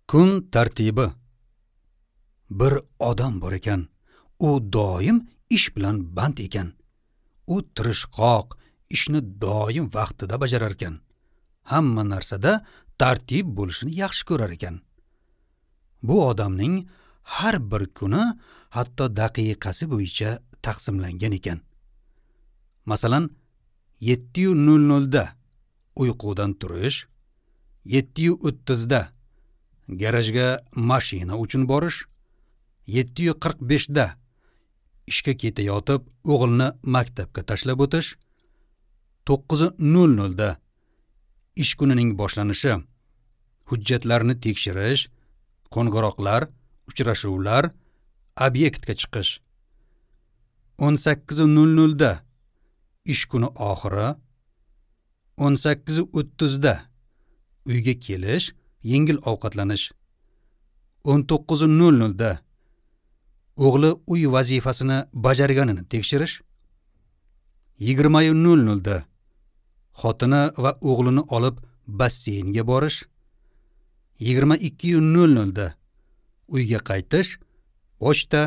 Kun tartibi. Bir odam bor ekan, u doim ish bilan band ekan. U tirishqoq, ishni doim vaqtida bajarar ekan. Hamma narsada tartib bo'lishini yaxshi ko'rar ekan. Bu odamning har bir kuni hatto daqiqasi bo'yicha taqsimlangan ekan. Masalan, 7:00 da uyqudan turish, 7:30 da garajga mashina uchun borish, 7:45 da ishga ketayotib o'g'ilni maktabga tashlab o'tish, 9:00 da ish kunining boshlanishi, hujjatlarni tekshirish, qo'ng'iroqlar, uchrashuvlar, obyektga chiqish, 18:00 da ish kuni oxiri, 18:30 da uyga kelish, yengil ovqatlanish, 19:00 da o'g'li uy vazifasini bajarganini tekshirish, 20:00 da xotini va o'g'lini olib basseynga borish, 22:00 da uyga qaytish, pochta,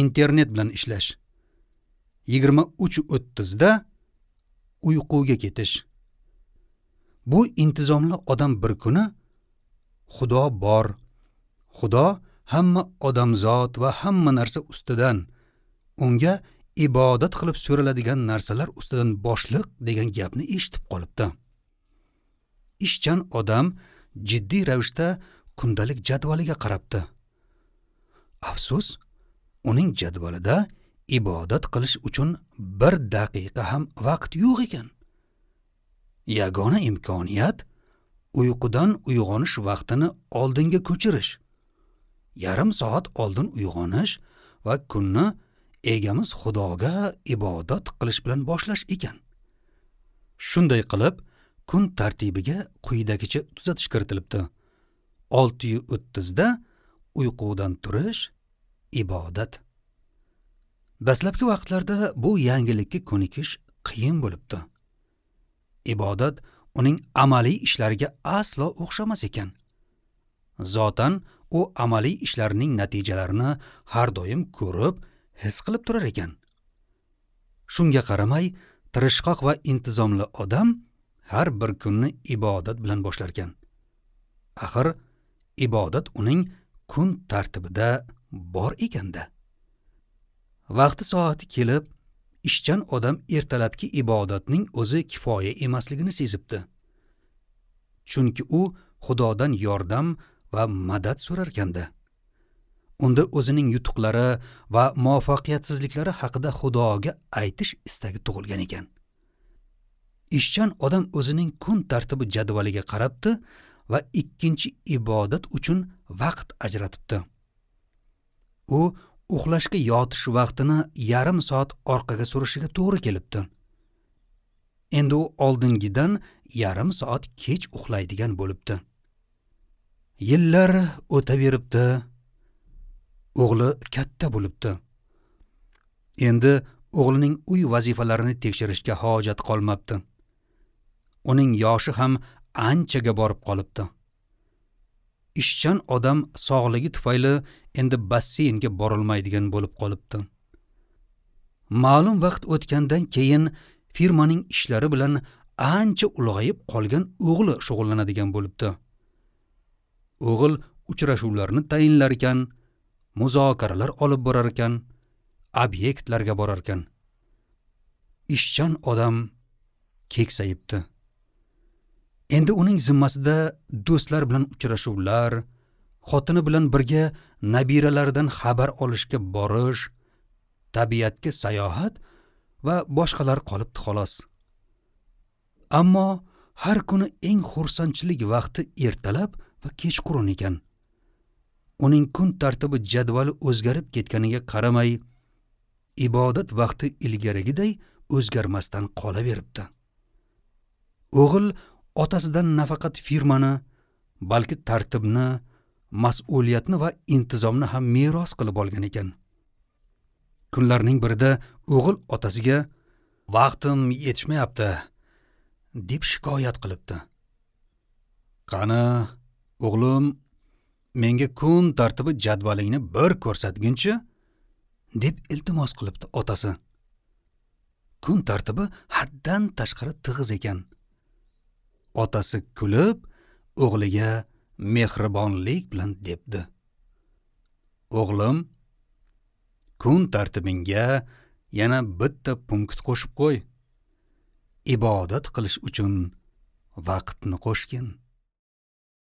internet bilan ishlash, 23:30 da uyquga ketish. Bu intizomli odam bir kuni Xudo bor, Xudo hamma odamzod va hamma narsa ustidan, unga ibodat qilib so'raladigan narsalar ustidan boshliq degan gapni eshitib qolibdi. Ishchan odam jiddiy ravishda kundalik jadvaliga qarabdi. Afsus, uning jadvalida ibodat qilish uchun bir daqiqa ham vaqt yo'q ekan. Yagona imkoniyat uyqudan uyg'onish vaqtini oldinga ko'chirish. Yarim soat oldin uyg'onish va kunni egamiz Xudoga ibodat qilish bilan boshlash ekan. Shunday qilib, kun tartibiga quyidagicha tuzatish kiritilibdi. 6:30 da uyqudan turish, ibodat. Dastlabki vaqtlarda bu yangilikka ko'nikish qiyin bo'libdi. Ibodat uning amaliy ishlariga aslo o'xshamas ekan. Zotan u amaliy ishlarning natijalarini har doim ko'rib, his qilib turar ekan. Shunga qaramay, tirishqoq va intizomli odam har bir kunni ibodat bilan boshlar ekan. Axir ibodat uning kun tartibida bor ekanda. Vaqti soati kelib, ishchan odam ertalabki ibodatning o'zi kifoya emasligini sezibdi. Chunki u Xudodan yordam va madad so'rarkanda. Unda o'zining yutuqlari va muvaffaqiyatsizliklari haqida Xudoga aytish istagi tug'ilgan ekan. Ishchan odam o'zining kun tartibi jadvaliga qarabdi va ikkinchi ibodat uchun vaqt ajratibdi. U uxlashga yotish vaqtini yarim soat orqaga surishiga to'g'ri kelibdi. Endi u oldingidan yarim soat kech uxlaydigan bo'libdi. Yillar o'taveribdi. O'g'li katta bo'libdi. Endi o'g'lining uy vazifalarini tekshirishga hojat qolmabdi. Uning yoshi ham anchaga borib qolibdi. Ishchan odam sog'ligi tufayli endi basseynga borolmaydigan bo'lib qolibdi. Ma'lum vaqt o'tgandan keyin firmaning ishlari bilan ancha ulg'ayib qolgan o'g'li shug'ullanadigan bo'libdi. O'g'il uchrashuvlarni tayinlar ekan, muzokaralar olib borar ekan, obyektlarga borar ekan. Ishchan odam keksayibdi. Endi uning zimmasida do'stlar bilan uchrashuvlar, xotini bilan birga nabiralaridan xabar olishga borish, tabiatga sayohat va boshqalar qolibdi xolos. Ammo har kuni eng xursandchilik vaqti ertalab va kechqurun ekan. Uning kun tartibi jadvali o'zgarib ketganiga qaramay, ibodat vaqti ilgarigiday o'zgarmasdan qolaveribdi. O'g'il otasidan nafaqat firmani, balki tartibni, mas'uliyatni va intizomni ham meros qilib olgan ekan. Kunlarning birida o'g'il otasiga "Vaqtim yetishmayapti" deb shikoyat qilibdi. "Qani, o'g'lim, Menga kun tartibi jadvalingni bir ko'rsatginchi, deb iltimos qilibdi otasi. Kun tartibi haddan tashqari tig'iz ekan. Otasi kulib, o'g'liga mehribonlik bilan debdi: O'g'lim, kun tartibingga yana bitta punkt qo'shib qo'y. Ibodat qilish uchun vaqtni qo'shgin.